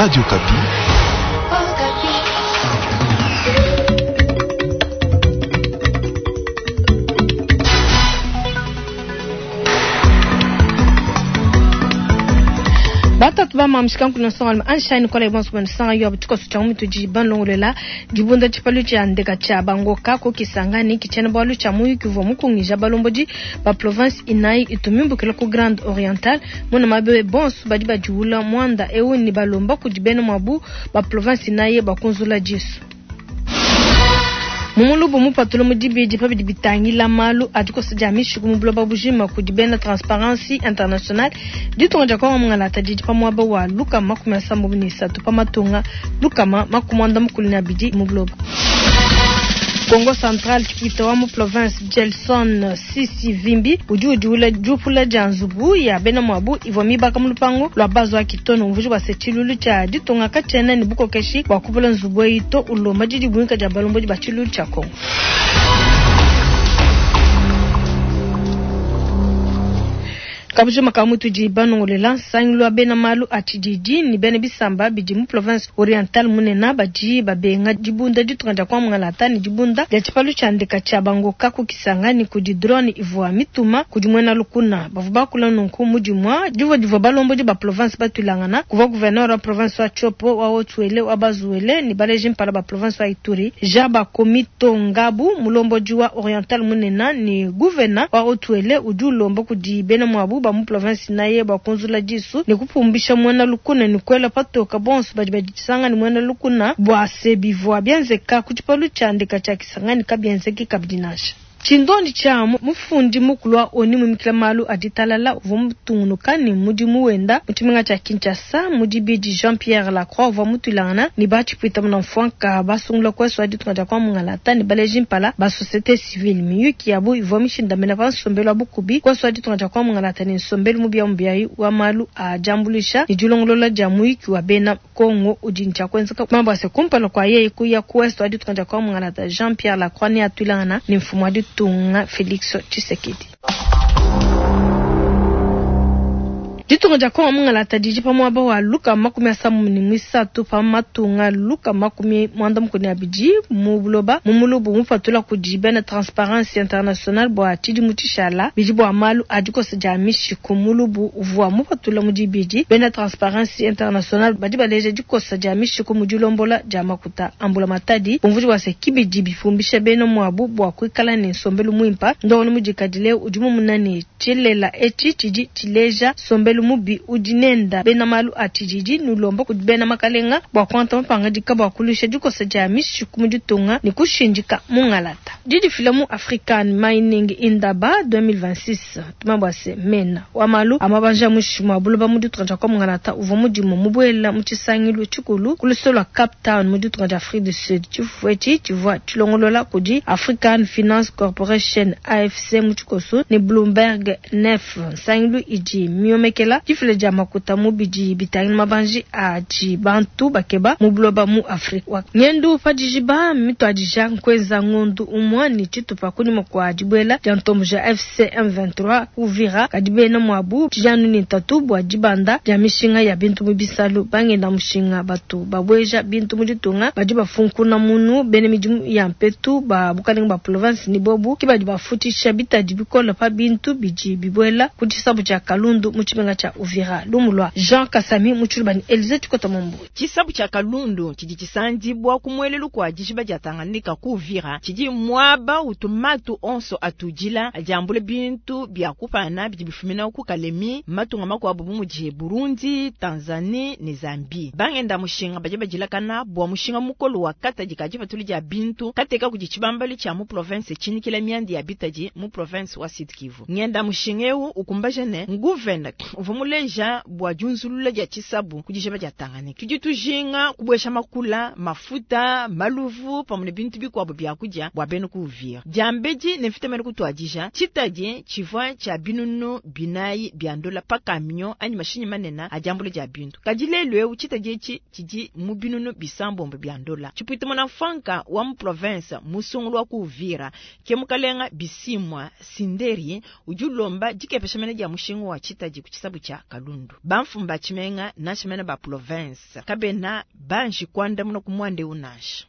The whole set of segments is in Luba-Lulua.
Radio Okapi. Batatu ba mamushika nkuna nsongalume anshine kola ibonso bana sanga yo tshikoso tshia mutudi banlongolola dibunda tshipalu tshia ndeka tshia bangoka ko kisangani kitshena bwalu tshia muyuki uvua mukungija balombodi ba province inayi itumimbukila ku Grande Orientale muna mabe bonso badi badiula mwanda eu ni balomba kudi bena mwabu ba province inayi bakunzula disu. Mumulubu mupatula mu dibidi pa bidi bitangila malu a dikosa dia mishiku mu buloba bujima kudi bena Transparency International ditunga dia Kongo mungalata didi pa muaba wa 163 pa matunga 192 mu buloba. Kongo Central tshipwita wa mu province Gelson Sisi Vimbi udi udiula diupula dia nzubu ya bena mwabu ivua mibaka mu lupangu lwa bazo wa Kitono umvuji bua se tshilulu tshia ditunga katshiena ne bukokeshi bua kupula nzubu eyi to ulomba didibuinka dia balombodi ba tshilulu tshia Kongo. Kabujima ka mutudi banongolela nsangilu wa bena malu a tshididi ni bena bisamba bidi mu province orientale munena badi babenga dibunda ditunga dia kwa mungalata ni dibunda dia tshipalu tshia ndeka tshia bangoka ku Kisangani kudi drone ivua mituma kudi muena lukuna bavua bakula nunku mudimua divua divua balombodi ba province batulangana kuvua gouverneur wa province wa Tshopo wa Haut-Uele wa Bas-Uele ni baleji mpala ba province wa Ituri Jean Bakomito Ngabu mulombodi wa oriental munena ni gouverneur wa Haut-Uele udi ulomba kudi bena mwabu ba mu province naye bakunzula disu ni kupumbisha muena lukuna ni kwela patoka bonso badi badisanga ni muena lukuna bua se bivua bienzeka ku tshipalu tshia ndeka tshia Kisangani kabienzeki kabidi nansha. Tshindondi tshia mufundi mukulu wa ONU mumikila malu a ditalala uvua mutungunuka ne mudimu wenda mu tshimenga tshia Kinshasa mu dibidi Jean-Pierre Lacroix uvua mutuilangana ne batshipwita munamfuanka basungula kuesu wa ditunga dia kwa mungalata ne baleji mpala ba société civile. Miyuki yabu ivua mishindamena pa nsombelu wa bukubi kuesu wa ditunga dia kwa mungalata ne nsombelu mubiamubiayi wa malu a diambuluisha ne dilongolola dia muyuki wa bena Kongo udi ntshia kuenzeka mambo ase kumpala kwa yeye kuya ku ouest wa ditunga dia kwa mungalata Jean-Pierre Lacroix ne atuilangana ne mfumu wa ditunga Felix Tshisekedi. Ditunga dia Kongo mungalata didi pa muaba wa 63 pa matunga 92 mu buloba mu mulubu mupatula kudi bena Transparency International bua tshidimu tshishala bidi bua malu a dikosa dia mishiku mulubu uvua mupatula mu dibidi. Bena Transparency International badi baleja dikosa dia mishiku mu dilombola dia makuta a mbulamatadi bumvudi bua se kibidi bipumbisha bena muabu bua kuikala ne nsombelu muimpa. Ndongolo mudikadile udi mumuna ne tshilela etshi tshidi tshileja nsombelu mubi udi nenda bena malu a tshididi nulomba kudi bena makalenga bua kuangata mapangadika bua kuluisha dikosa dia mishiku mu ditunga ne kushindika mungalata. Didifila mu African Mining Indaba 2026 tumambua se mena wa malu a mabanja muinshi mua buloba mu ditunga dia kwa mungalata uvua mudimu mubuela mu tshisangilu tshikulu ku luseke lua Cape Town mu ditunga dia Afrique du Sud. Tshifufu etshi tshivua tshilongolola kudi African Finance Corporation AFC mu tshikoso ne Bloomberg Nef, nsangilu idi miomekela difila dia makuta mu bidi bitangila mabanji adi bantu bakeba mu buloba mu Afrika. Ngendu pa dijiba mituadija nkuenza ngondu umua ne tshitupa kunyima kua dibuela dia ntombo ja FC M23 ku Uvira, kadi bena muabu tshijanu ne ntatu bua dibanda dia mishinga ya bintu mu bisalu. Bangenda mushinga batu babueja bintu mu ditunga badi bafunkuna munu bena midimu ya mpetu ba bukalenga ba province ni bobu ke badi bafutshisha bitadi bikole pa bintu bidi bibuela ku tshisabu tshia Kalundu mu tshimenga tshia Uvira. Lumu lua Jean Kasami mu tshiluba ne Elise Tshikota Mumbu. Tshisabu tshia Kalundu tshidi tshisandibua ku muelelu kua dijiba dia Tanganyika ku Uvira tshidi muaba utu matu onso atudila adi ambula bintu bia kupana bidi bifumina ku Kalemi, matunga makuabu bu mudi Burundi, Tanzanie ne Zambie. Bangenda mushinga badi badilakana bua mushinga mukolo wa katadi ka dipatuli dia bintu kateka kudi tshibambalu tshia mu province tshinikila mianda ya bitadi mu province wa Sud Kivu. Ngenda mushinga eu ukumbaja ne nguvena uvua muleja bua diunzulula dia tshisabu ku dijiba dia Tanganyika. Tudi tujinga kubuesha makula, mafuta, maluvu pamue ne bintu bikuabu bia kudia bua bena ku Uvira. Diambedi ne mvita mene kutuadija, tshitadi tshivua tshia 4000 bia ndola pa camion anyi mashinyi manene a diambula dia bintu. Kadi lelu eu tshitadi etshi tshidi mu 600 bia ndola. Tshipwita munamfuanka wa mu province musungulu wa ku Uvira ke mukalenga Bisimwa Sinderi udi ulomba dikepesha mene dia mushinga wa tshitadi ku tshisabu. tshiabu tshia Kalundu. Bamfumu ba tshimenga nansha mene ba province kabena banji kuandamuna ku muanda eu nansha.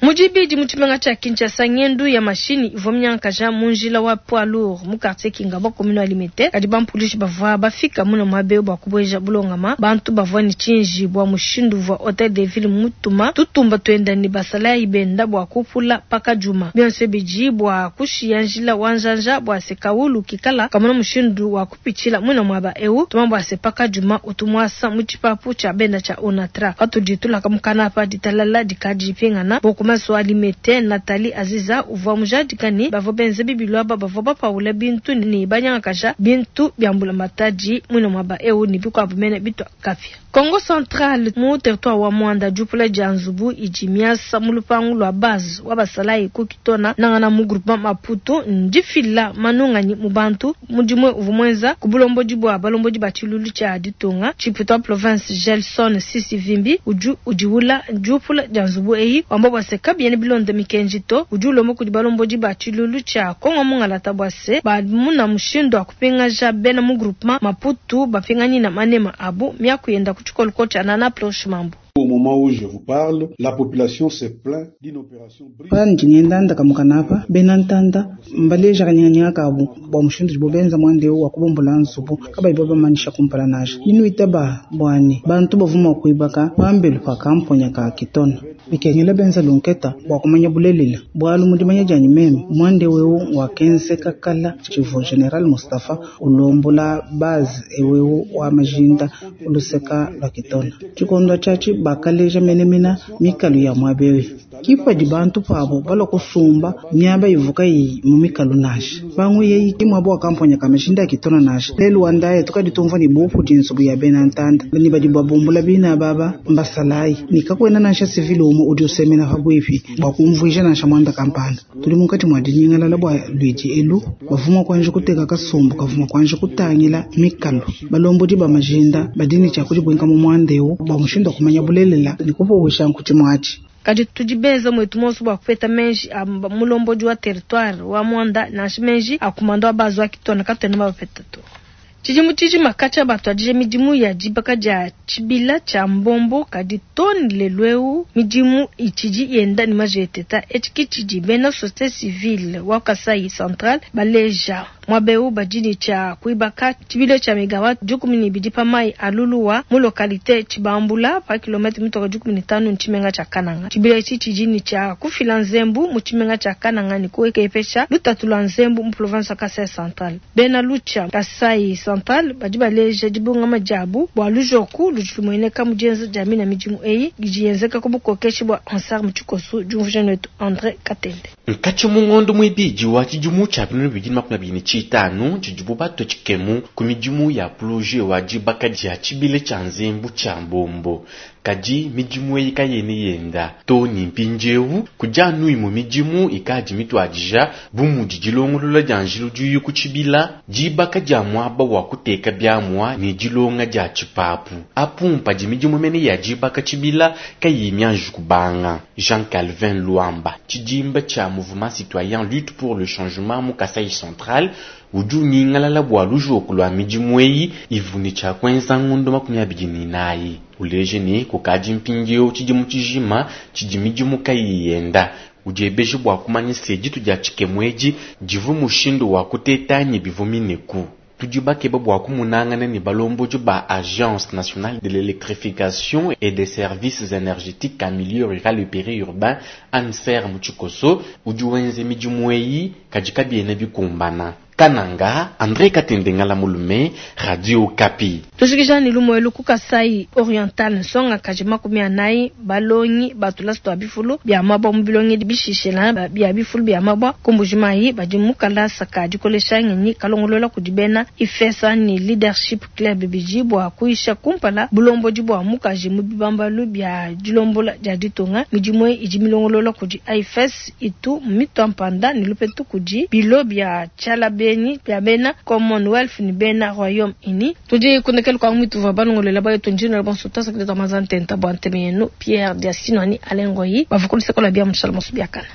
Mu dibidi mu tshimenga tshia Kinshasa, ngendu ya mashinyi ivua minyangakaja mu njila wa poids lourd mu quartier Kingabwa, commune wa Limete. Kadi bampulushi bavua bafika muna muaba eu bua kubueja bulongama. Bantu bavua ne tshinji bua mushindu uvua Hotel de Ville mutuma tutumba tuenda ne basalayi benda bua kupula pakadiuma. Bionso bidi bua kushiya njila wa njanja bua se kawulu kikala kamona mushindu wa kupitshila muina muaba eu. Tuma bua se pakadiuma utu muasa mu tshipapu tshia benda tshia Onatra. Patudi tulaka mukana apa ditalala dikadi dipingana. Bourgmestre wa Limete, Nathalie Aziza uvua mujadika ne bavua benza bibilu aba bavua bapaula bintu ne banyangakaja bintu bia mbulamatadi muina muaba eu ne bikuabu mene bitua kapia. Kongo Central, mu territoire wa Muanda, diupula dia nzubu idi miasa mu lupangu lua base wa basalayi ku Kitona nangana mu groupement Maputo ndifila manunganyi mu bantu. Mudimu uvua muenza ku bulombodi bua balombodi ba tshiluilu tshia ditunga. Tshipuita wa province Gelson Sisi Vimbi udi udiwula diupula dia nzubu eyi, wamba bua se kabiena bilonda mikenji to. Udi ulomba kudi balombodi ba tshiluilu tshia Kongo mungalata bua se bamuna mushindu wa kupingaja bena mu groupement Maputo bapinganyina manema abu. Miaku yenda ku tshikoloko tshia Nana Ploche Mambu. Au moment où je vous parle, la population se plaint d'une opération Pandi ngenda ndaka apa, bena ntanda mbaleja kanyinganyinga kabu bua mushindu udibo benza muanda eu wa kubumbula nzubu kabayi babamanyisha kumpala nansha. Binuitaba buani bantu bavua mua kuibaka pambelu pa kamponya ka Kitona bikengela benza lunketa bua kumanya bulelela bualu mu dimanya dianyi meme muanda eu wakenzeka kala tshivua General Mustafa ulombola base eu wa majinda uluseka lua Kitona tshikondo tshiatshi bakaleja menemena mikalu ya muaba eu kipadi bantu pabo balua kusumba miaba ivuka iyi mu mikalu nansha bangu yeyi ki muaba wa kamponya ka majinda ya Kitona nansha lelu wa ndaya tukadi tumvua ne bupu nzubu ya bena ntanda ni badi babumbula bina baba mbasalayi ni kakuena nansha civil umue udi usemena pabuipi bua kumvuija nansha muanda kampanda tudi munkatshi mua dinyingalala bua luidi elu bavuma kuanji kuteka kasumbu kavuma kuanji kutangila mikalu balombodi ba majinda badi ne tshia kudibuinka mu muanda eu bua mushindu wa kumanya bulelela ne kupuwisha nkuti muatshi. Kadi tudi benza muetu monso bua kupeta menji a mulombodi wa territoire wa Muanda nansha menji a kumanda wa base wa Kitona katuena bapeta to. Tshidimu tshijima katshia batuadije midimu ya dibaka dia tshibila tshia mbombo kadi too ne lelu eu midimu itshidi yenda ne majeteta. Etshi ke tshidi bena société civile wa Kasai Central baleja. Muaba eu badi ne tshia kuibaka tshibila tshia megawatt 12 pa mayi a Luluwa mu localité Tshibambula pa kilomètre mitoka 15 ne tshimenga tshia Kananga. Tshibila etshi tshidi ne tshia kufila nzembu mu tshimenga tshia Kananga ne kuekepesha lutatu lua nzembu mu province wa Kasai Central. Bena Lucha Kasai Central badi baleja dibungama diabu bua lujoku ludi lumueneka mu dienza dia mina midimu eyi idi yenzeka ku bukokeshi bua Ansar mu tshikoso. Diumvuija netu Andre Katende. Nkatshi mu ngondo muibidi wa tshidimu tshia 2025 tshidibu batue tshikemu ku midimu ya projet wa dibaka dia tshibila tshia nzembu tshia mbombo. Kadi midimu eyi kayena yenda too ne mpindieu kudi anu imue midimu ikadi mituadija bu mudi dilongolola dia njila udi ku tshibila, dibaka dia muaba wa kuteka biamua ne dilonga dia tshipapu. Apu padi midimu mene ya dibaka tshibila kayiyi mianji kubanga. Jean Calvin Luamba, tshidimba tshia mouvement citoyen lutte pour le changement mu Kasai Central, udi unyingalala bua lujoku lua midimu eyi ivu ne tshia kuenza ngondo 24. Uleje ne kukadi mpindieu tshidimu tshijima tshidi midimu kayiyi yenda. Udiebeje bua kumanya se ditu dia tshikemu edi divu mushindu wa kuteta anyi bivu mineku. Tudi bakeba bua kumunangana ne balombodi ba Agence nationale de l'électrification et des services énergétiques en milieu rural et périurbain ANSER mu tshikoso udi wenze midimu eyi kadi kabiena bikumbana. Kananga, André Katende Ngala Mulume, Radio Okapi. Tushikija ne lumuelu ku Kasai Oriental nsongakaji 40 balongi ba tulasa tua bifulu bia mabua mu bilongedi bishishila bia bifulu bia mabua ku Mbuji-Mayi badi mu kalasa ka dikolesha ngenyi kalongolola kudi bena IFESA ne Leadership Club bidi bua kuyisha kumpala bulombodi bua mukaji mu bibambalu bia dilombola dia ditunga. Midimu eyi idi milongolola kudi AIFES itu mitua mpanda ne lupetu kudi bilo bia tshialabenyi bia bena Commonwealth ne bena Royaume-Uni. Tudi kundekelu kua muituvua balongolola bayetu ndino bonso tasakidila mazantenta bua nteme yenu Pierre Diasino ani Alain Ngoyi bavua ku luseke lua bia mushala moso biakana.